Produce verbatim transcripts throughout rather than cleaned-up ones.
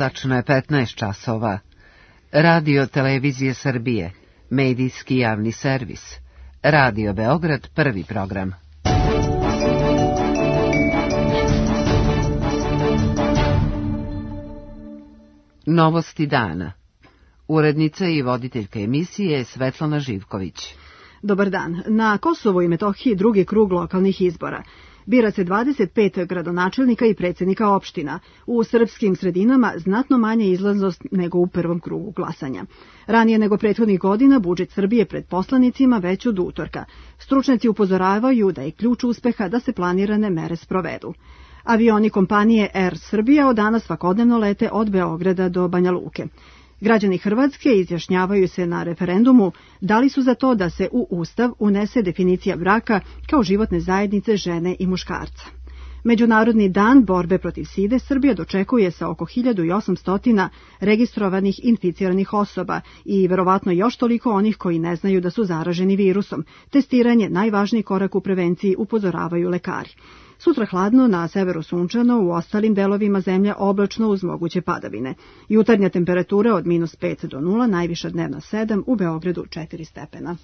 Tačno je petnaest časova. Radio Televizije Srbije, medijski javni servis. Radio Beograd, prvi program. Novosti dana. Urednica i voditeljka emisije je Svetlana Živković. Dobar dan. Na Kosovu i Metohiji drugi krug lokalnih izbora. Bira se dvadeset pet gradonačelnika i predsjednika opština. U srpskim sredinama znatno manja izlaznost nego u prvom krugu glasanja. Ranije nego prethodnih godina budžet Srbije pred poslanicima već od utorka. Stručnjaci upozoravaju da je ključ uspeha da se planirane mere sprovedu. Avioni kompanije Air Srbija od danas svakodnevno lete od Beograda do Banja Luke. Građani Hrvatske izjašnjavaju se na referendumu da li su za to da se u Ustav unese definicija braka kao životne zajednice žene i muškarca. Međunarodni dan borbe protiv side Srbija dočekuje sa oko hiljadu osamsto registrovanih inficiranih osoba i verovatno još toliko onih koji ne znaju da su zaraženi virusom. Testiranje najvažniji korak u prevenciji, upozoravaju lekari. Sutra hladno, na severu sunčano, u ostalim delovima zemlje oblačno uz moguće padavine. Jutarnja temperatura od minus pet do nula, najviša dnevna sedam, u Beogradu četiri stepena.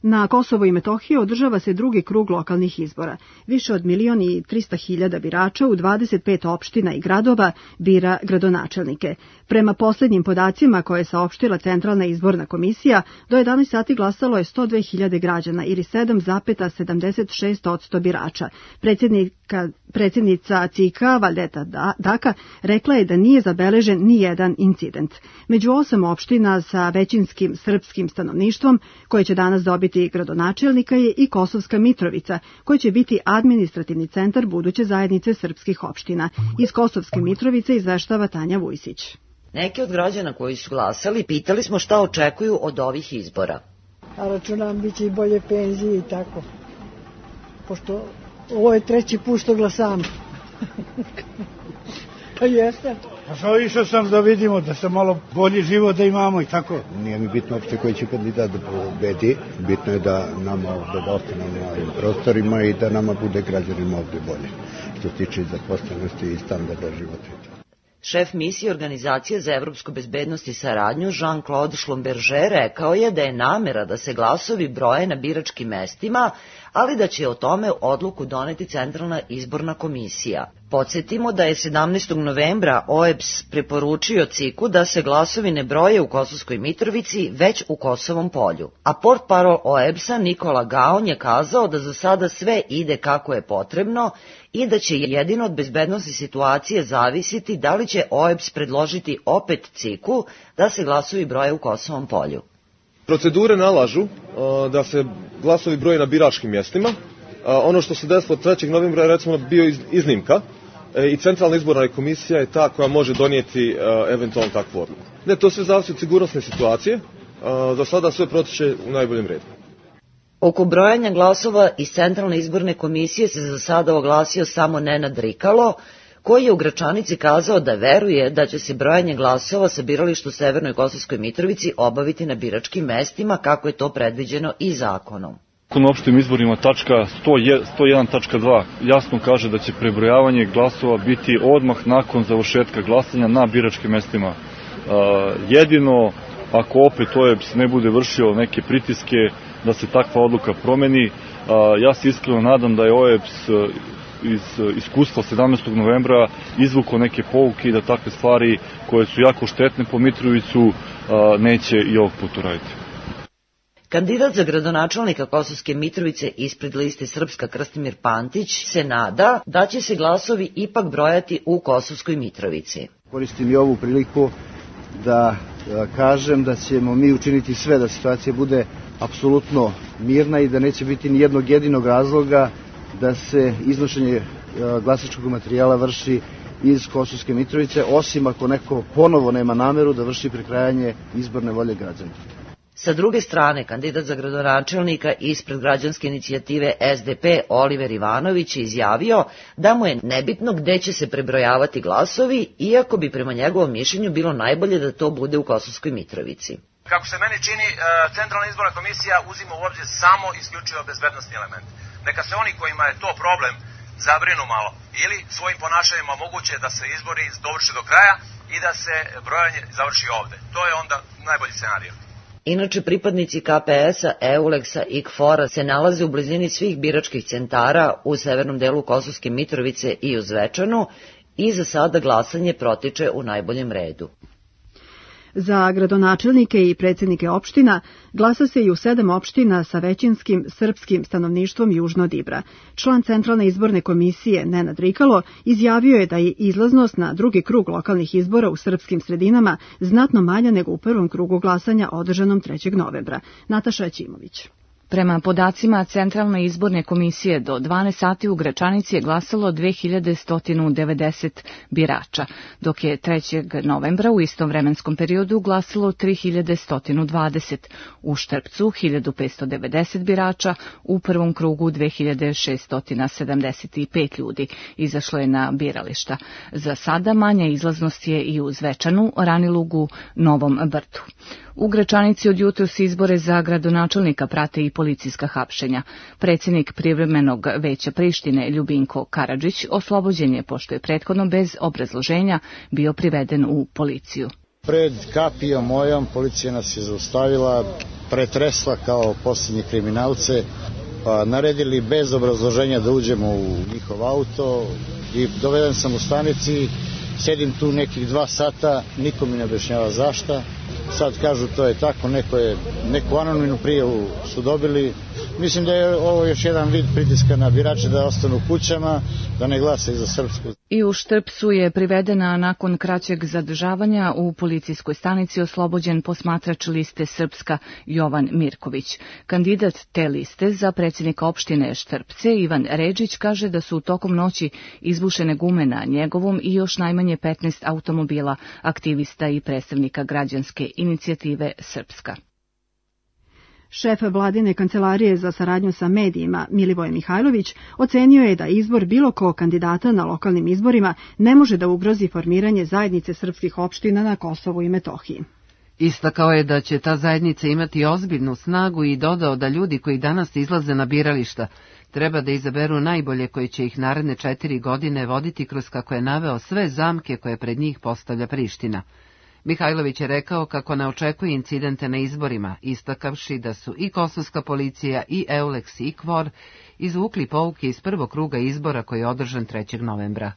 Na Kosovu i Metohiji održava se drugi krug lokalnih izbora. Više od milion i trista hiljada birača u dvadeset pet opština i gradova bira gradonačelnike. Prema posljednjim podacima koje je saopštila Centralna izborna komisija, do jedanaest sati glasalo je sto dve hiljade građana ili sedam zarez sedamdeset šest posto birača. Predsjednika, predsjednica C I K-a Valdeta Daka rekla je da nije zabeležen ni jedan incident. Među osam opština sa većinskim srpskim stanovništvom koje će danas dobiti gradonačelnika je i Kosovska Mitrovica, koji će biti administrativni centar buduće zajednice srpskih opština. Iz Kosovske Mitrovice izveštava Tanja Vujsić. Neki od građana koji su glasali pitali smo šta očekuju od ovih izbora. A računam biće i bolje penzije i tako. Pošto ovo je treći put što glasam. Pa jeste. A što išao sam da vidimo da se malo bolji život da imamo i tako. Nije mi bitno uopšte koji će kandidat da pobedi. Bitno je da nama ovdje ostanemo na ovim prostorima i da nama bude građanima ovdje bolje. Što se tiče zaposlenosti i standarda života. Šef misije Organizacije za evropsku bezbednost i saradnju Jean-Claude Schlumberger rekao je da je namera da se glasovi broje na biračkim mestima, ali da će o tome odluku doneti Centralna izborna komisija. Podsjetimo da je sedamnaestog novembra O E B S preporučio C I K-u da se glasovi ne broje u Kosovskoj Mitrovici, već u Kosovom polju. A portparol O E B S-a Nikola Gaon je kazao da za sada sve ide kako je potrebno i da će jedino od bezbednosti situacije zavisiti da li će O E B S predložiti opet C I K-u da se glasovi broje u Kosovom polju. Procedure nalažu uh, da se glasovi broje na biračkim mjestima. Uh, ono što se desilo trećeg novembra je recimo bio iz, iznimka e, i Centralna izborna komisija je ta koja može donijeti uh, eventualno takvu odluku. Ne, to sve zavisi od sigurnosne situacije. Uh, za sada sve protiče u najboljem redu. Oko brojanja glasova iz Centralne izborne komisije se za sada oglasio samo Nenad Rikalo, koji je u Gračanici kazao da veruje da će se brojanje glasova sa birališta u Severnoj Kosovskoj Mitrovici obaviti na biračkim mestima, kako je to predviđeno i zakonom. Zakon o opštim izborima tačka sto jedan tačka dva jasno kaže da će prebrojavanje glasova biti odmah nakon završetka glasanja na biračkim mestima. Jedino ako opet O E B S ne bude vršio neke pritiske da se takva odluka promeni, ja se iskreno nadam da je O E B S iz iskustva sedamnaestog novembra izvukao neke pouke i da takve stvari koje su jako štetne po Mitrovicu neće i ovog puta raditi. Kandidat za gradonačelnika Kosovske Mitrovice ispred liste Srpska Krstimir Pantić se nada da će se glasovi ipak brojati u Kosovskoj Mitrovici. Koristim i ovu priliku da kažem da ćemo mi učiniti sve da situacija bude apsolutno mirna i da neće biti ni jednog jedinog razloga da se iznošenje glasačkog materijala vrši iz Kosovske Mitrovice, osim ako neko ponovo nema nameru da vrši prekrajanje izborne volje građana. Sa druge strane, kandidat za gradonačelnika ispred građanske inicijative S D P Oliver Ivanović je izjavio da mu je nebitno gde će se prebrojavati glasovi, iako bi prema njegovom mišljenju bilo najbolje da to bude u Kosovskoj Mitrovici. Kako se meni čini, Centralna izborna komisija uzima u obzir samo isključivo bezbednosni element. Neka se oni kojima je to problem zabrinu malo ili svojim ponašanjima moguće da se izbori dovrši do kraja i da se brojanje završi ovde. To je onda najbolji scenarij. Inače, pripadnici K P S-a, Euleksa i K F O R-a se nalaze u blizini svih biračkih centara u severnom delu Kosovske Mitrovice i u Zvečanu i za sada glasanje protiče u najboljem redu. Za gradonačelnike i predsjednike opština glasa se i u sedam opština sa većinskim srpskim stanovništvom južno od Ibra. Član Centralne izborne komisije Nenad Rikalo izjavio je da je izlaznost na drugi krug lokalnih izbora u srpskim sredinama znatno manja nego u prvom krugu glasanja održanom trećeg novembra. Nataša Ćimović. Prema podacima Centralne izborne komisije do dvanaest sati u Gračanici je glasalo dve hiljade sto devedeset birača, dok je trećeg novembra u istom vremenskom periodu glasalo tri hiljade sto dvadeset, u Štrpcu hiljadu petsto devedeset birača, u prvom krugu dve hiljade šeststo sedamdeset pet ljudi izašlo je na birališta. Za sada manja izlaznost je i u Zvečanu, Ranilugu, Novom Brdu. U Gračanici od jutros izbore za gradonačelnika prate i policijska hapšenja. Predsjednik privremenog veća Prištine Ljubinko Karadžić oslobođen je pošto je prethodno bez obrazloženja bio priveden u policiju. Pred kapijom mojom policija nas je zaustavila, pretresla kao posljednji kriminalce, pa naredili bez obrazloženja da uđemo u njihov auto i doveden sam u stanici, sedim tu nekih dva sata, niko mi ne objašnjava zašta. Sad kažu to je tako, neko je, neku anonimnu prijavu su dobili. Mislim da je ovo još jedan vid pritiska na birače da ostanu kućama, da ne glasaju za Srpsku. I u Štrpcu je privedena nakon kraćeg zadržavanja u policijskoj stanici oslobođen posmatrač liste Srpska Jovan Mirković. Kandidat te liste za predsjednika opštine Štrpce Ivan Redžić kaže da su tokom noći izbušene gume na njegovom i još najmanje petnaest automobila aktivista i predstavnika građanske inicijative Srpska. Šef vladine kancelarije za saradnju sa medijima Milivoje Mihajlović ocenio je da izbor bilo kog kandidata na lokalnim izborima ne može da ugrozi formiranje zajednice srpskih opština na Kosovu i Metohiji. Istakao je da će ta zajednica imati ozbiljnu snagu i dodao da ljudi koji danas izlaze na birališta treba da izaberu najbolje koji će ih naredne četiri godine voditi kroz, kako je naveo, sve zamke koje pred njih postavlja Priština. Mihajlović je rekao kako ne očekuje incidente na izborima, istakavši da su i kosovska policija i Euleks i K F O R izvukli pouke iz prvog kruga izbora koji je održan trećeg novembra.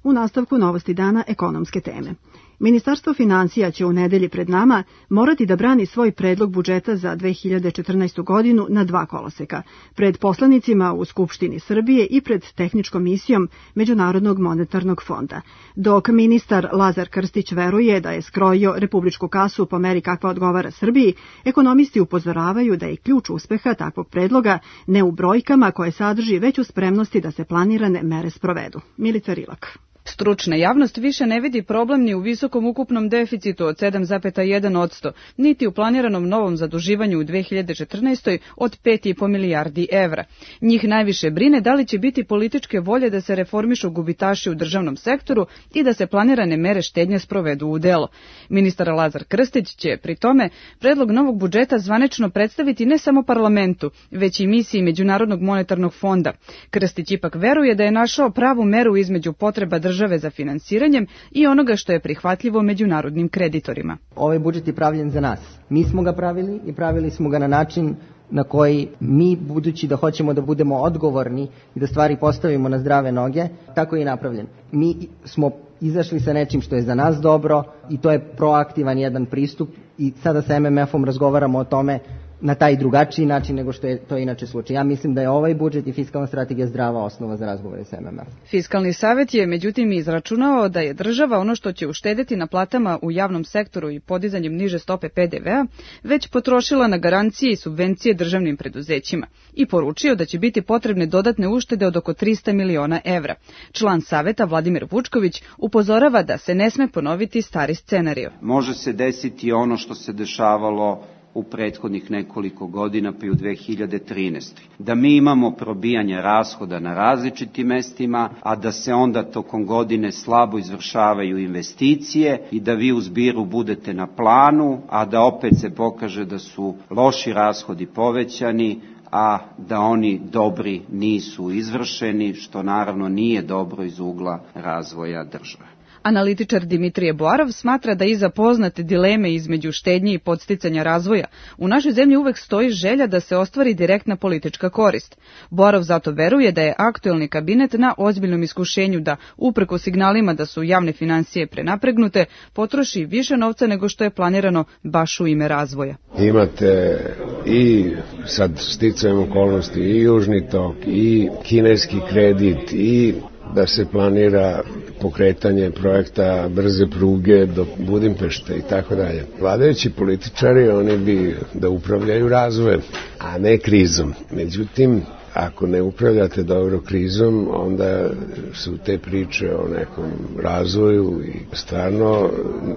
U nastavku Novosti dana ekonomske teme. Ministarstvo financija će u nedelji pred nama morati da brani svoj predlog budžeta za dve hiljade četrnaestu. godinu na dva koloseka, pred poslanicima u Skupštini Srbije i pred tehničkom misijom Međunarodnog monetarnog fonda. Dok ministar Lazar Krstić veruje da je skrojio republičku kasu po meri kakva odgovara Srbiji, ekonomisti upozoravaju da je ključ uspeha takvog predloga ne u brojkama koje sadrži, već u spremnosti da se planirane mere sprovedu. Milica Rilak. Stručna javnost više ne vidi problem ni u visokom ukupnom deficitu od sedam zarez jedan posto, niti u planiranom novom zaduživanju u dve hiljade četrnaestoj. od pet i po milijardi evra. Njih najviše brine da li će biti političke volje da se reformišu gubitaši u državnom sektoru i da se planirane mere štednje sprovedu u delo. Ministar Lazar Krstić će pri tome predlog novog budžeta zvanično predstaviti ne samo parlamentu, već i misiji Međunarodnog monetarnog fonda. Krstić ipak veruje da je našao pravu meru između potreba države za finansiranjem i onoga što je prihvatljivo međunarodnim kreditorima. Ovaj budžet je pravljen za nas. Mi smo ga pravili i pravili smo ga na način na koji mi, budući da hoćemo da budemo odgovorni i da stvari postavimo na zdrave noge, tako je i napravljen. Mi smo izašli sa nečim što je za nas dobro i to je proaktivan jedan pristup i sada sa M M F-om razgovaramo o tome na taj drugačiji način nego što je to inače slučaj. Ja mislim da je ovaj budžet i fiskalna strategija zdrava osnova za razgovore sa M M F. Fiskalni savjet je međutim izračunao da je država ono što će uštedeti na platama u javnom sektoru i podizanjem niže stope P D V-a već potrošila na garancije i subvencije državnim preduzećima i poručio da će biti potrebne dodatne uštede od oko trista miliona evra. Član saveta Vladimir Vučković upozorava da se ne sme ponoviti stari scenario. Može se desiti ono što se dešavalo u prethodnih nekoliko godina, pa i u dve hiljade trinaestoj. Da mi imamo probijanje rashoda na različitim mestima, a da se onda tokom godine slabo izvršavaju investicije i da vi u zbiru budete na planu, a da opet se pokaže da su loši rashodi povećani, a da oni dobri nisu izvršeni, što naravno nije dobro iz ugla razvoja države. Analitičar Dimitrije Boarov smatra da iza poznate dileme između štednje i podsticanja razvoja u našoj zemlji uvek stoji želja da se ostvari direktna politička korist. Boarov zato veruje da je aktuelni kabinet na ozbiljnom iskušenju da, upreko signalima da su javne finansije prenapregnute, potroši više novca nego što je planirano baš u ime razvoja. Imate i sad sticajem okolnosti i Južni tok i kineski kredit i da se planira pokretanje projekta brze pruge do Budimpešte i tako dalje. Vladajući političari, oni bi da upravljaju razvojem, a ne krizom. Međutim, ako ne upravljate dobro krizom, onda su te priče o nekom razvoju i stvarno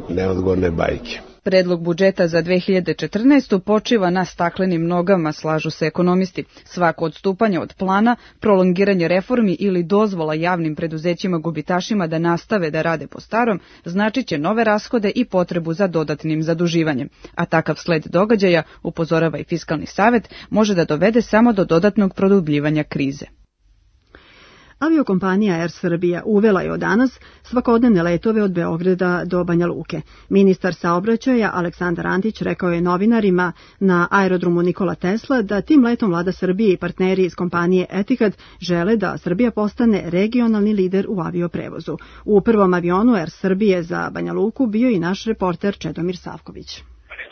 neodgovorne bajke. Predlog budžeta za dve hiljade četrnaestu počiva na staklenim nogama, slažu se ekonomisti. Svako odstupanje od plana, prolongiranje reformi ili dozvola javnim preduzećima gubitašima da nastave da rade po starom, značit će nove rashode i potrebu za dodatnim zaduživanjem. A takav sled događaja, upozorava i Fiskalni savet, može da dovede samo do dodatnog produbljivanja krize. Aviokompanija Air Srbija uvela je od danas svakodnevne letove od Beograda do Banja Luke. Ministar saobraćaja Aleksandar Antić rekao je novinarima na aerodromu Nikola Tesla da tim letom vlada Srbije i partneri iz kompanije Etihad žele da Srbija postane regionalni lider u avioprevozu. U prvom avionu Air Srbije za Banja Luku bio i naš reporter Čedomir Savković.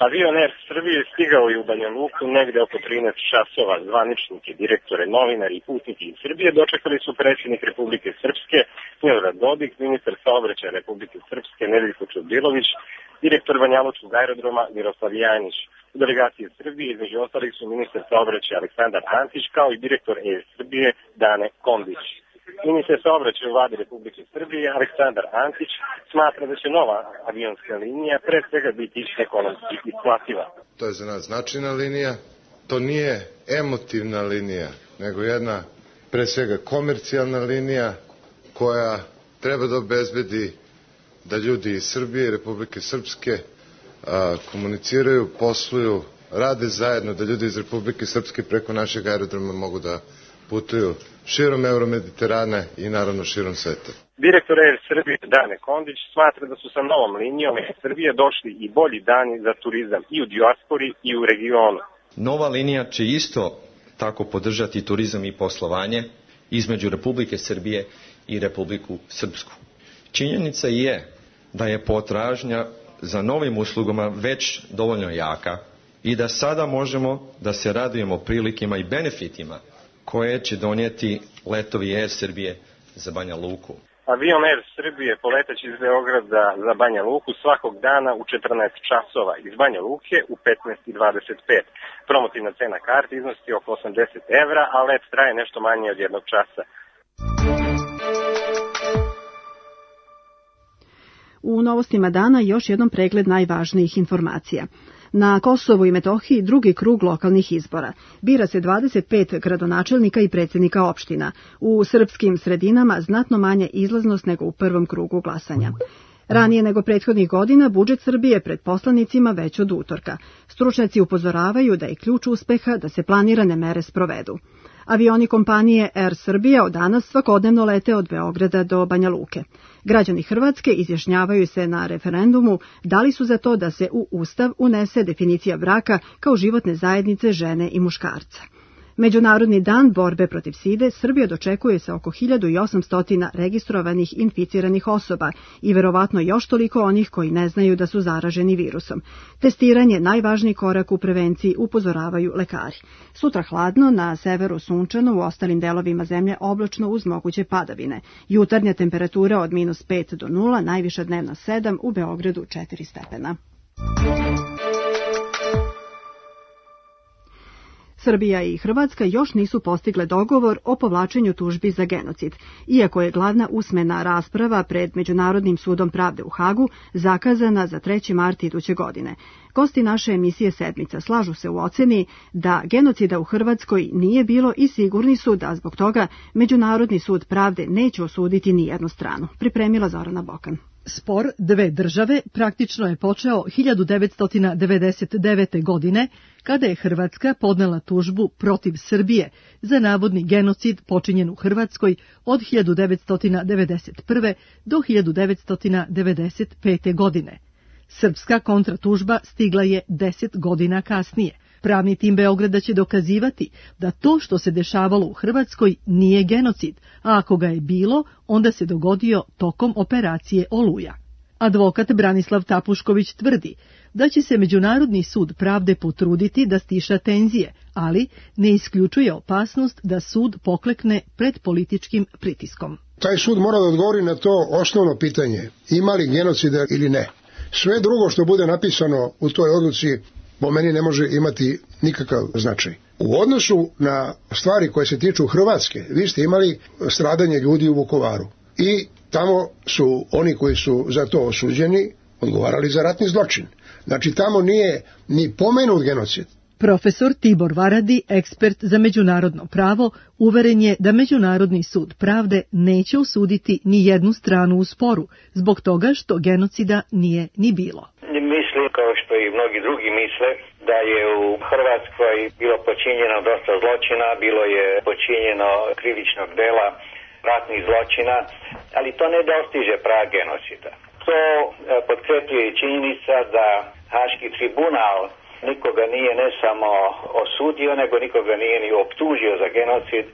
Avion Air Srbije stigao je u Banja Luku negde oko trinaest časova. Zvaničnike, direktore, novinari i putniki iz Srbije dočekali su predsjednik Republike Srpske Milorad Dodik, ministar saobraćaja Republike Srpske Nedeljko Čudilović, direktor Banjalučkog aerodroma Miroslav Janjić. U delegaciji Srbije između ostalih su ministar saobraćaja Aleksandar Antić kao i direktor Air Srbije Dane Kondić. Ministar saobraćaja u vladi Republike Srbije Aleksandar Antić smatra da će nova avionska linija pre svega biti ekonomski isplativa. To je za nas značajna linija, to nije emotivna linija, nego jedna pre svega komercijalna linija koja treba da obezbedi da ljudi iz Srbije i Republike Srpske a, komuniciraju, posluju, rade zajedno, da ljudi iz Republike Srpske preko našeg aerodroma mogu da putuju širom Euromediterana i naravno širom sveta. Direktor Air Srbije Dane Kondić smatra da su sa novom linijom Air Srbije došli i bolji dani za turizam i u dijaspori i u regionu. Nova linija će isto tako podržati turizam i poslovanje između Republike Srbije i Republiku Srpsku. Činjenica je da je potražnja za novim uslugama već dovoljno jaka i da sada možemo da se radujemo prilikama i benefitima koje će donijeti letovi Air Srbije za Banja Luku. Avion Air Srbije poletaće iz Beograda za Banja Luku svakog dana u četrnaest časova, iz Banja Luke u petnaest i dvadeset pet. Promotivna cena karti iznosi oko osamdeset evra, a let traje nešto manje od jednog časa. U novostima dana još jednom pregled najvažnijih informacija. Na Kosovu i Metohiji drugi krug lokalnih izbora. Bira se dvadeset pet gradonačelnika i predsjednika opština. U srpskim sredinama znatno manja izlaznost nego u prvom krugu glasanja. Ranije nego prethodnih godina budžet Srbije pred poslanicima već od utorka. Stručnjaci upozoravaju da je ključ uspeha da se planirane mere sprovedu. Avioni kompanije Air Srbija od danas svakodnevno lete od Beograda do Banja Luke. Građani Hrvatske izjašnjavaju se na referendumu da li su za to da se u Ustav unese definicija braka kao životne zajednice žene i muškarca. Međunarodni dan borbe protiv side Srbija dočekuje sa oko hiljadu osamsto registrovanih inficiranih osoba i verovatno još toliko onih koji ne znaju da su zaraženi virusom. Testiranje najvažniji korak u prevenciji, upozoravaju lekari. Sutra hladno, na severu sunčano, u ostalim delovima zemlje oblačno uz moguće padavine. Jutarnja temperatura od minus pet do nula, najviša dnevna sedam, u Beogradu četiri stepena. Srbija i Hrvatska još nisu postigle dogovor o povlačenju tužbi za genocid, iako je glavna usmena rasprava pred Međunarodnim sudom pravde u Hagu zakazana za treći mart iduće godine. Gosti naše emisije Sedmica slažu se u oceni da genocida u Hrvatskoj nije bilo i sigurni su da zbog toga Međunarodni sud pravde neće osuditi ni jednu stranu. Pripremila Zorana Bokan. Spor dve države praktično je počeo hiljadu devetsto devedeset devete. godine, kada je Hrvatska podnela tužbu protiv Srbije za navodni genocid počinjen u Hrvatskoj od hiljadu devetsto devedeset prve. do hiljadu devetsto devedeset pete. godine. Srpska kontratužba stigla je deset godina kasnije. Pravni tim Beograda će dokazivati da to što se dešavalo u Hrvatskoj nije genocid, a ako ga je bilo, onda se dogodio tokom operacije Oluja. Advokat Branislav Tapušković tvrdi da će se Međunarodni sud pravde potruditi da stiša tenzije, ali ne isključuje opasnost da sud poklekne pred političkim pritiskom. Taj sud mora da odgovori na to osnovno pitanje, ima li genocida ili ne. Sve drugo što bude napisano u toj odluci po meni ne može imati nikakav značaj. U odnosu na stvari koje se tiču Hrvatske, vi ste imali stradanje ljudi u Vukovaru i tamo su oni koji su za to osuđeni odgovarali za ratni zločin. Znači tamo nije ni pomenut genocid. Profesor Tibor Varadi, ekspert za međunarodno pravo, uveren je da Međunarodni sud pravde neće osuditi ni jednu stranu u sporu, zbog toga što genocida nije ni bilo. Mislim, kao što i mnogi drugi misle, da je u Hrvatskoj bilo počinjeno dosta zločina, bilo je počinjeno krivičnog dela, ratnih zločina, ali to ne dostiže prag genocida. To potkrepljuje i činjenica da Haški tribunal nikoga nije ne samo osudio, nego nikoga nije ni optužio za genocid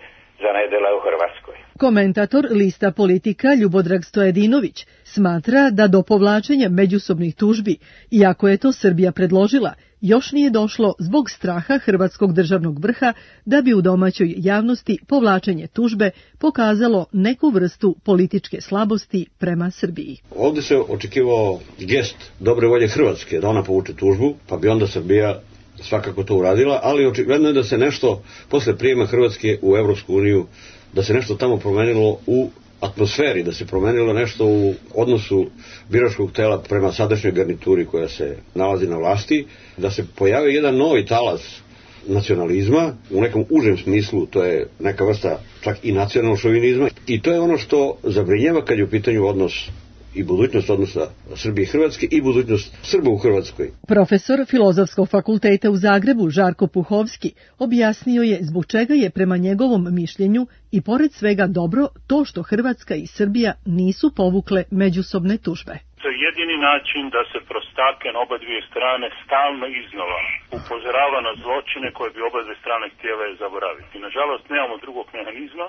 za nedjela u Hrvatskoj. Komentator lista Politika Ljubodrag Stojedinović smatra da do povlačenja međusobnih tužbi, iako je to Srbija predložila, još nije došlo zbog straha hrvatskog državnog vrha da bi u domaćoj javnosti povlačenje tužbe pokazalo neku vrstu političke slabosti prema Srbiji. Ovdje se očekivao gest dobre volje Hrvatske da ona povuče tužbu, pa bi onda Srbija svakako to uradila, ali očigledno je da se nešto posle prijema Hrvatske u Evropsku uniju, da se nešto tamo promenilo u atmosferi, da se promenilo nešto u odnosu biračkog tela prema sadašnjoj garnituri koja se nalazi na vlasti, da se pojavi jedan novi talas nacionalizma, u nekom užem smislu, to je neka vrsta čak i nacionalnog šovinizma, i to je ono što zabrinjava kad je u pitanju odnos i budućnost odnosa Srbije i Hrvatske i budućnost Srba u Hrvatskoj. Profesor Filozofskog fakulteta u Zagrebu Žarko Puhovski objasnio je zbog čega je prema njegovom mišljenju i pored svega dobro to što Hrvatska i Srbija nisu povukle međusobne tužbe. To je jedini način da se prostake na oba dvije strane stalno iznova upozorava na zločine koje bi oba dvije strane htjele zaboraviti. Nažalost, nemamo drugog mehanizma.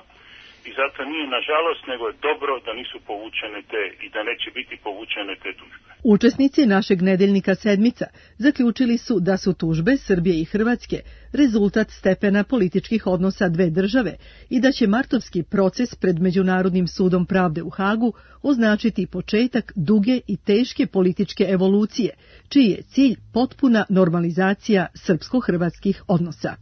I zato nije nažalost, nego je dobro da nisu povučene te i da neće biti povučene te tužbe. Učesnici našeg nedeljnika Sedmica zaključili su da su tužbe Srbije i Hrvatske rezultat stepena političkih odnosa dve države i da će martovski proces pred Međunarodnim sudom pravde u Hagu označiti početak duge i teške političke evolucije, čiji je cilj potpuna normalizacija srpsko-hrvatskih odnosa.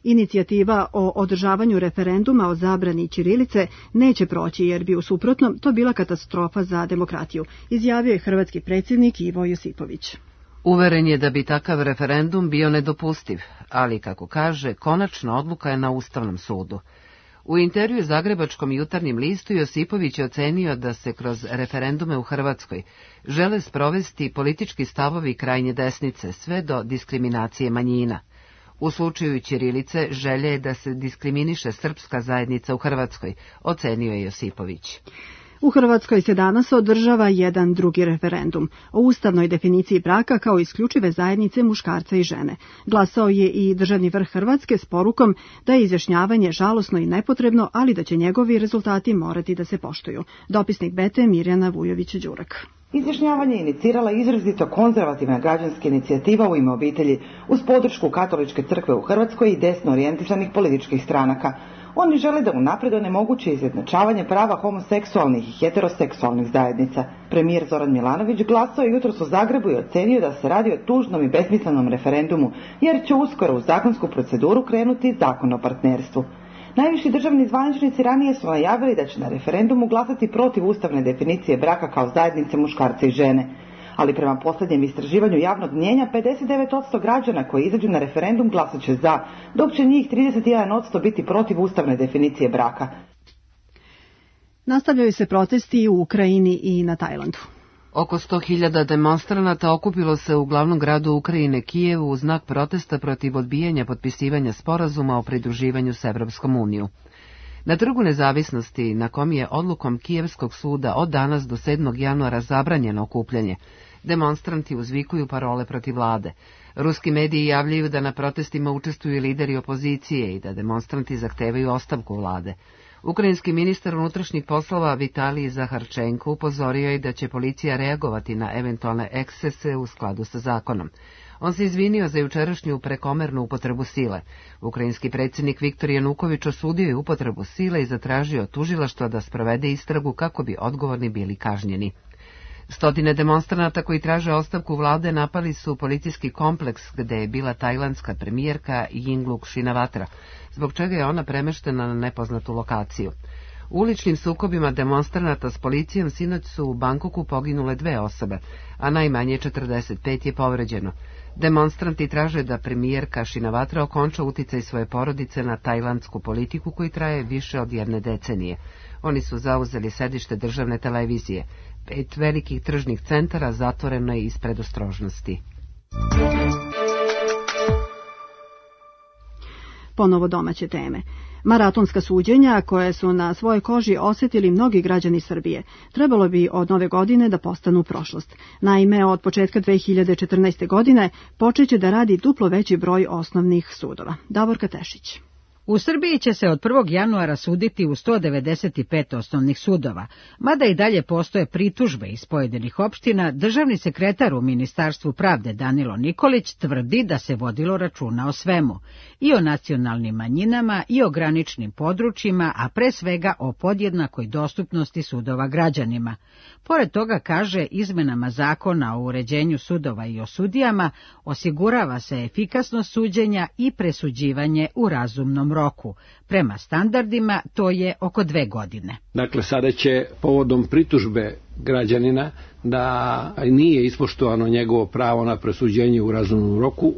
Inicijativa o održavanju referenduma o zabrani ćirilice neće proći jer bi u suprotnom to bila katastrofa za demokratiju, izjavio je hrvatski predsjednik Ivo Josipović. Uveren je da bi takav referendum bio nedopustiv, ali, kako kaže, konačna odluka je na Ustavnom sudu. U intervju Zagrebačkom jutarnjem listu Josipović je ocenio da se kroz referendume u Hrvatskoj žele sprovesti politički stavovi krajnje desnice sve do diskriminacije manjina. U slučaju ćirilice želje je da se diskriminiše srpska zajednica u Hrvatskoj, ocenio je Josipović. U Hrvatskoj se danas održava jedan drugi referendum o ustavnoj definiciji braka kao isključive zajednice muškarca i žene. Glasao je i državni vrh Hrvatske s porukom da je izjašnjavanje žalosno i nepotrebno, ali da će njegovi rezultati morati da se poštuju. Dopisnik B T Mirjana Vujović-Đurak. Izjašnjavanje je inicirala izrazito konzervativna građanska inicijativa u ime obitelji uz podršku Katoličke crkve u Hrvatskoj i desno orijentisanih političkih stranaka. Oni žele da unapred onemoguće izjednačavanje prava homoseksualnih i heteroseksualnih zajednica. Premijer Zoran Milanović glasao je jutros u Zagrebu i ocenio da se radi o tužnom i besmislenom referendumu, jer će uskoro u zakonsku proceduru krenuti zakon o partnerstvu. Najviši državni zvaničnici ranije su najavili da će na referendumu glasati protiv ustavne definicije braka kao zajednice muškarca i žene. Ali prema posljednjem istraživanju javnog mnijenja, pedeset devet posto građana koji izađu na referendum glasat će za, dok će njih trideset jedan posto biti protiv ustavne definicije braka. Nastavljaju se protesti i u Ukrajini i na Tajlandu. Oko sto hiljada demonstranata okupilo se u glavnom gradu Ukrajine Kijevu u znak protesta protiv odbijanja potpisivanja sporazuma o pridruživanju s Evropskom unijom. Na Trgu nezavisnosti, na kom je odlukom Kijevskog suda od danas do sedmog januara zabranjeno okupljanje, demonstranti uzvikuju parole protiv vlade. Ruski mediji javljaju da na protestima učestvuju lideri opozicije i da demonstranti zahtevaju ostavku vlade. Ukrajinski ministar unutrašnjih poslova Vitalij Zaharčenko upozorio je da će policija reagovati na eventualne ekscese u skladu sa zakonom. On se izvinio za jučerašnju prekomernu upotrebu sile. Ukrajinski predsjednik Viktor Januković osudio je upotrebu sile i zatražio od tužilaštva da sprovede istragu kako bi odgovorni bili kažnjeni. Stotine demonstranata koji traže ostavku vlade napali su policijski kompleks gde je bila tajlandska premijerka Yingluck Shinawatra, zbog čega je ona premeštena na nepoznatu lokaciju. U uličnim sukobima demonstranata s policijom sinoć su u Bangkoku poginule dve osobe, a najmanje četrdeset pet je povređeno. Demonstranti traže da premijerka Shinawatra okonča uticaj svoje porodice na tajlandsku politiku koji traje više od jedne decenije. Oni su zauzeli sedište državne televizije. Pet velikih tržnih centara zatvoreno je iz predostrožnosti. Ponovo domaće teme. Maratonska suđenja, koje su na svojoj koži osjetili mnogi građani Srbije, trebalo bi od nove godine da postanu prošlost. Naime, od početka dve hiljade četrnaeste. godine počeće da radi duplo veći broj osnovnih sudova. Davorka Tešić. U Srbiji će se od prvog januara suditi u sto devedeset pet osnovnih sudova. Mada i dalje postoje pritužbe iz pojedinih opština, državni sekretar u Ministarstvu pravde Danilo Nikolić tvrdi da se vodilo računa o svemu. I o nacionalnim manjinama, i o graničnim područjima, a pre svega o podjednakoj dostupnosti sudova građanima. Pored toga, kaže, izmenama zakona o uređenju sudova i o sudijama osigurava se efikasnost suđenja i presuđivanje u razumnom roku. Prema standardima to je oko dve godine. Dakle, sada će povodom pritužbe građanina da nije ispoštovano njegovo pravo na presuđenje u razumnom roku,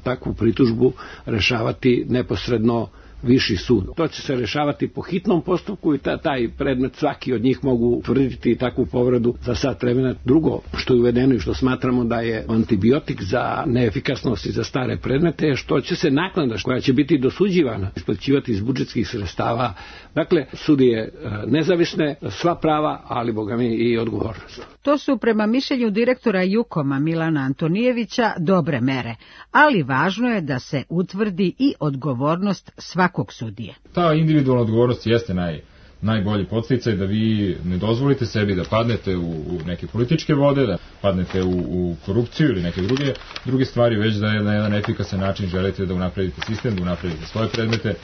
takvu pritužbu rešavati neposredno viši sud. To će se rešavati po hitnom postupku i taj predmet svaki od njih mogu utvrditi takvu povredu za sat vremena. Drugo što je uvedeno i što smatramo da je antibiotik za neefikasnost i za stare predmete je što će se naknada koja će biti dosuđivana isplaćivati iz budžetskih sredstava. Dakle, sudije nezavisne, sva prava, ali boga mi i odgovornost. To su prema mišljenju direktora Jukoma Milana Antonijevića dobre mere, ali važno je da se utvrdi i odgovornost svakog sudije. Ta individualna odgovornost jeste naj, najbolji podsticaj da vi ne dozvolite sebi da padnete u, u neke političke vode, da padnete u, u korupciju ili neke druge, druge stvari, već da je na jedan efikasan način želite da unapredite sistem, da unapredite svoje predmete,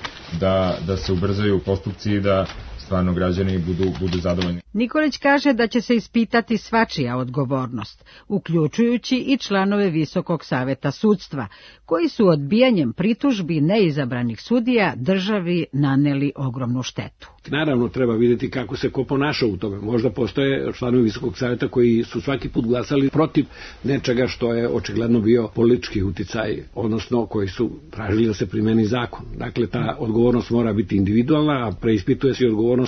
da, da se ubrzaju postupci i da stvarno građani budu, budu zadovoljni. Nikolić kaže da će se ispitati svačija odgovornost, uključujući i članove Visokog saveta sudstva, koji su odbijanjem pritužbi neizabranih sudija državi naneli ogromnu štetu. Naravno, treba vidjeti kako se ko ponaša u tome. Možda postoje članovi Visokog saveta koji su svaki put glasali protiv nečega što je očigledno bio politički uticaj, odnosno koji su tražili da se primeni zakon. Dakle, ta odgovornost mora biti individualna, a preispituje se i odgovornost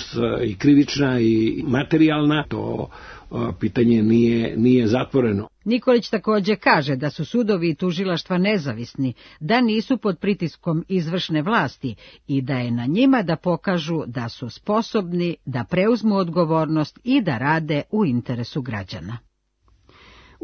i krivična i materijalna. To pitanje nije, nije zatvoreno. Nikolić također kaže da su sudovi i tužilaštva nezavisni, da nisu pod pritiskom izvršne vlasti i da je na njima da pokažu da su sposobni da preuzmu odgovornost i da rade u interesu građana.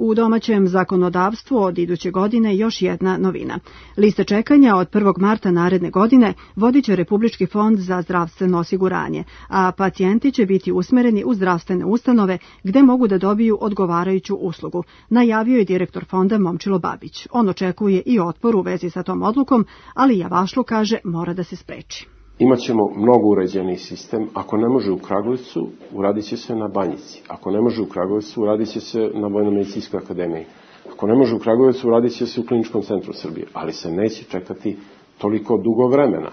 U domaćem zakonodavstvu od iduće godine još jedna novina. Liste čekanja od prvog marta naredne godine vodit će Republički fond za zdravstveno osiguranje, a pacijenti će biti usmereni u zdravstvene ustanove gde mogu da dobiju odgovarajuću uslugu, najavio je direktor fonda Momčilo Babić. On očekuje i otpor u vezi sa tom odlukom, ali Javašlu kaže mora da se spreči. Imaćemo mnogo uređeni sistem. Ako ne može u Kragujevcu, uradit će se na Banjici. Ako ne može u Kragujevcu, uradit će se na Vojno-medicinskoj akademiji. Ako ne može u Kragujevcu, uradit će se u Kliničkom centru Srbije. Ali se neće čekati toliko dugo vremena.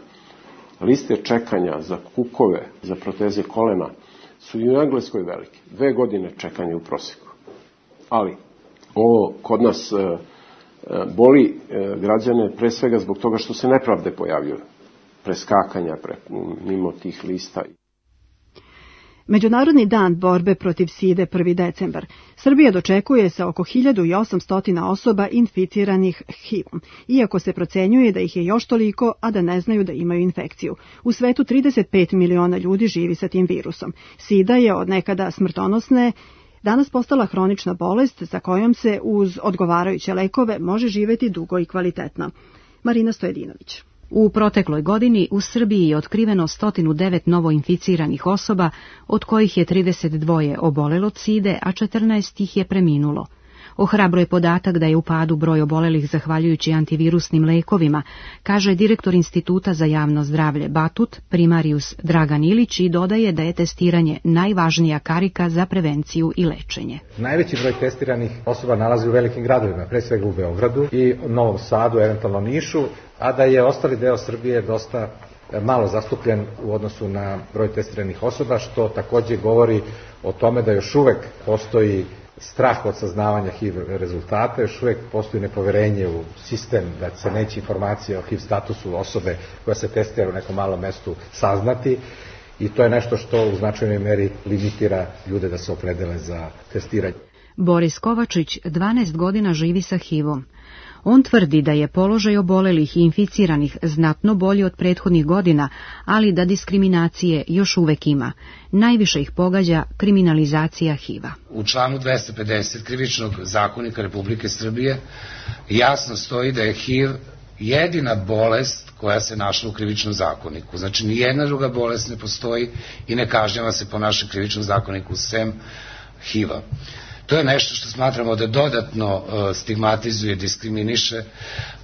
Liste čekanja za kukove, za proteze kolena su i u Engleskoj velike. Dve godine čekanja u proseku. Ali ovo kod nas e, boli e, građane pre svega zbog toga što se nepravde pojavljuju. Preskakanja pre, mimo tih lista. Međunarodni dan borbe protiv side prvi decembar. Srbija dočekuje sa oko hiljadu osamsto osoba inficiranih H I V-om, iako se procenjuje da ih je još toliko, a da ne znaju da imaju infekciju. U svetu trideset pet miliona ljudi živi sa tim virusom. Sida je od nekada smrtonosne, danas postala hronična bolest za kojom se uz odgovarajuće lekove može živeti dugo i kvalitetno. Marina Stojedinović. U protekloj godini u Srbiji je otkriveno sto devet novoinficiranih osoba, od kojih je trideset dva obolelo od side, a četrnaest ih je preminulo. Ohrabro je podatak da je u padu broj obolelih zahvaljujući antivirusnim lekovima, kaže direktor Instituta za javno zdravlje Batut, primarius Dragan Ilić, i dodaje da je testiranje najvažnija karika za prevenciju i lečenje. Najveći broj testiranih osoba nalazi u velikim gradovima, pre svega u Beogradu i Novom Sadu, eventualno Nišu, a da je ostali deo Srbije dosta malo zastupljen u odnosu na broj testiranih osoba, što takođe govori o tome da još uvek postoji strah od saznavanja H I V rezultata, još uvek postoji nepoverenje u sistem da se neće informacija o H I V statusu osobe koja se testira u nekom malom mestu saznati, i to je nešto što u značajnoj meri limitira ljude da se opredele za testiranje. Boris Kovačić dvanaest godina živi sa H I V-om. On tvrdi da je položaj obolelih i inficiranih znatno bolji od prethodnih godina, ali da diskriminacije još uvek ima. Najviše ih pogađa kriminalizacija H I V-a. U članu dvesta pedeset Krivičnog zakonika Republike Srbije jasno stoji da je H I V jedina bolest koja se našla u Krivičnom zakoniku. Znači, nijedna druga bolest ne postoji i ne kažnjava se po našem Krivičnom zakoniku sem H I V-a. To je nešto što smatramo da dodatno stigmatizuje, diskriminiše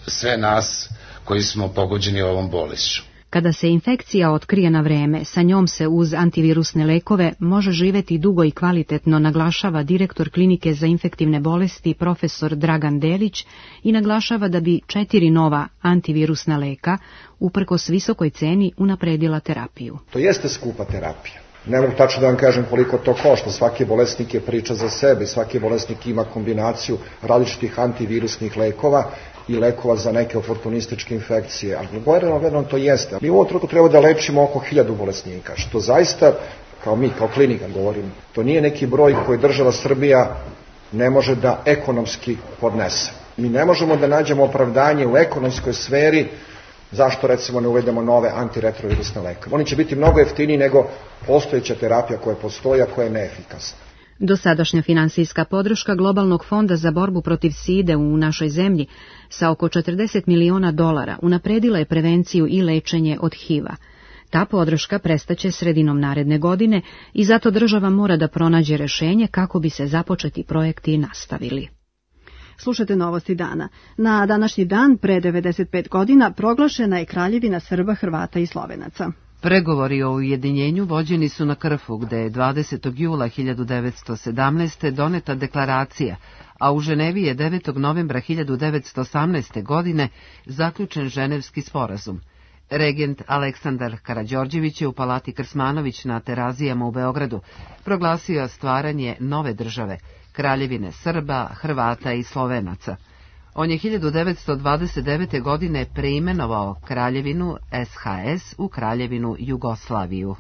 sve nas koji smo pogođeni ovom bolešću. Kada se infekcija otkrije na vreme, sa njom se uz antivirusne lekove može živeti dugo i kvalitetno, naglašava direktor Klinike za infektivne bolesti profesor Dragan Delić, i naglašava da bi četiri nova antivirusna leka, uprkos visokoj ceni, unapredila terapiju. To jeste skupa terapija. Ne mogu tačno da vam kažem koliko to košta, svaki bolesnik je priča za sebe, svaki bolesnik ima kombinaciju različitih antivirusnih lekova i lekova za neke oportunističke infekcije, ali gledano to jeste. Mi u ovom trenutku treba da lečimo oko hiljadu bolesnika, što zaista, kao mi, kao klinika govorim, to nije neki broj koji država Srbija ne može da ekonomski podnese. Mi ne možemo da nađemo opravdanje u ekonomskoj sferi zašto, recimo, ne uvedemo nove antiretrovirusne lekove. Oni će biti mnogo jeftiniji nego postojeća terapija koja postoji, a koja je neefikasna. Dosadašnja finansijska podrška Globalnog fonda za borbu protiv side u našoj zemlji sa oko četrdeset miliona dolara unapredila je prevenciju i lečenje od H I V-a. Ta podrška prestaće sredinom naredne godine i zato država mora da pronađe rešenje kako bi se započeti projekti nastavili. Slušate novosti dana. Na današnji dan, pre devedeset pet godina, proglašena je Kraljevina Srba, Hrvata i Slovenaca. Pregovori o ujedinjenju vođeni su na Krfu, gde je dvadesetog jula hiljadu devetsto sedamnaeste. doneta deklaracija, a u Ženevi je devetog novembra hiljadu devetsto osamnaeste. godine zaključen Ženevski sporazum. Regent Aleksandar Karađorđević je u Palati Krsmanović na Terazijama u Beogradu proglasio stvaranje nove države, Kraljevine Srba, Hrvata i Slovenaca. On je hiljadu devetsto dvadeset devete. godine preimenovao Kraljevinu S H S u Kraljevinu Jugoslaviju.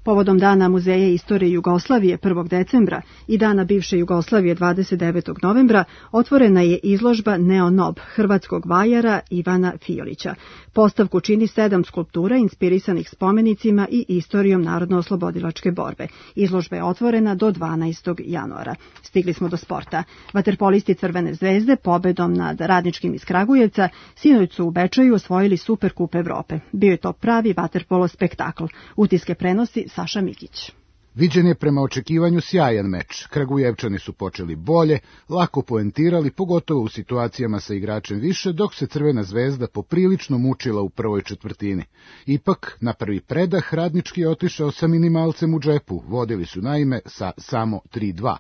Povodom Dana muzeja istorije Jugoslavije prvog decembra i Dana bivše Jugoslavije dvadeset devetog novembra otvorena je izložba Neonob hrvatskog vajara Ivana Fiolića. Postavku čini sedam skulptura inspirisanih spomenicima i istorijom narodno-oslobodilačke borbe. Izložba je otvorena do dvanaestog januara. Stigli smo do sporta. Vaterpolisti Crvene zvezde pobedom nad Radničkim iz Kragujevca sinoć su u Bečeju osvojili Superkup Evrope. Bio je to pravi vaterpolo spektakl. Utiske prenosi Saša Mikić. Viđen je prema očekivanju sjajan meč. Kragujevčani su počeli bolje, lako poentirali, pogotovo u situacijama sa igračem više, dok se Crvena zvezda poprilično mučila u prvoj četvrtini. Ipak, na prvi predah Radnički je otišao sa minimalcem u džepu, vodili su naime sa samo tri dva.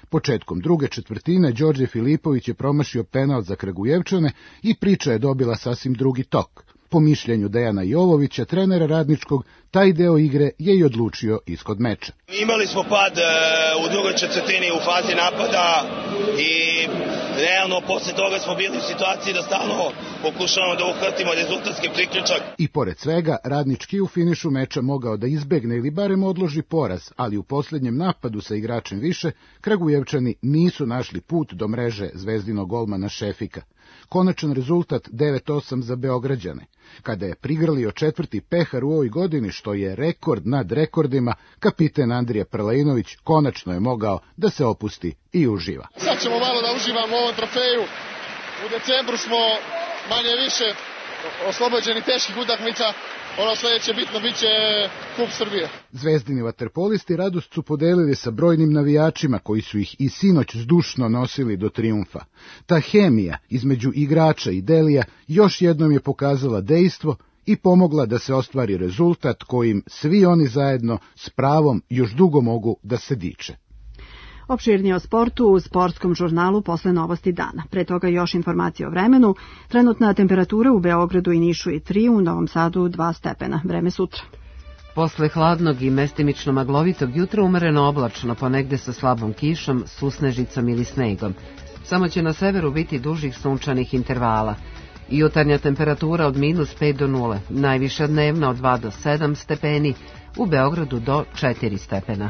Početkom druge četvrtine Đorđe Filipović je promašio penal za Kragujevčane i priča je dobila sasvim drugi tok. Po mišljenju Dejana Jovovića, trenera Radničkog, taj deo igre je i odlučio ishod meča. Imali smo pad e, u drugoj četvrtini u fazi napada i realno posle toga smo bili u situaciji da stalno pokušavamo da uhvatimo rezultatski priključak. I pored svega, Radnički u finišu meča mogao da izbegne ili barem odloži poraz, ali u posljednjem napadu sa igračem više, Kragujevčani nisu našli put do mreže zvezdinog golmana Šefika. Konačan rezultat devet osam za Beograđane. Kada je prigrlio četvrti pehar u ovoj godini, što je rekord nad rekordima, kapiten Andrija Prlejnović konačno je mogao da se opusti i uživa. Sad ćemo malo da uživamo u ovom trofeju. U decembru smo manje više oslobođeni teških utakmica. Ono sledeće bitno biće Kup Srbije. Zvezdini vaterpolisti radost su podelili sa brojnim navijačima koji su ih i sinoć zdušno nosili do trijumfa. Ta hemija između igrača i Delija još jednom je pokazala dejstvo i pomogla da se ostvari rezultat kojim svi oni zajedno s pravom još dugo mogu da se diče. Opširnije o sportu u sportskom žurnalu posle novosti dana. Pre toga još informacije o vremenu. Trenutna temperatura u Beogradu i Nišu je tri, u Novom Sadu dva stepena. Vreme sutra. Posle hladnog i mestimično maglovitog jutra umereno oblačno, ponegde sa slabom kišom, susnežicom ili snegom. Samo će na severu biti dužih sunčanih intervala. Jutarnja temperatura od minus pet do nule, najviša dnevna od dva do sedam stepeni, u Beogradu do četiri stepena.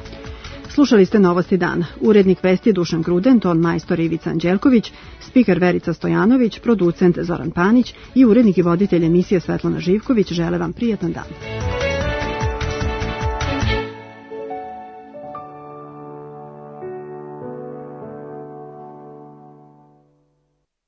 Slušali ste novosti dana. Urednik vesti Dušan Gruden, ton majstor Ivica Anđelković, spiker Verica Stojanović, producent Zoran Panić i urednik i voditelj emisije Svetlana Živković žele vam prijatan dan.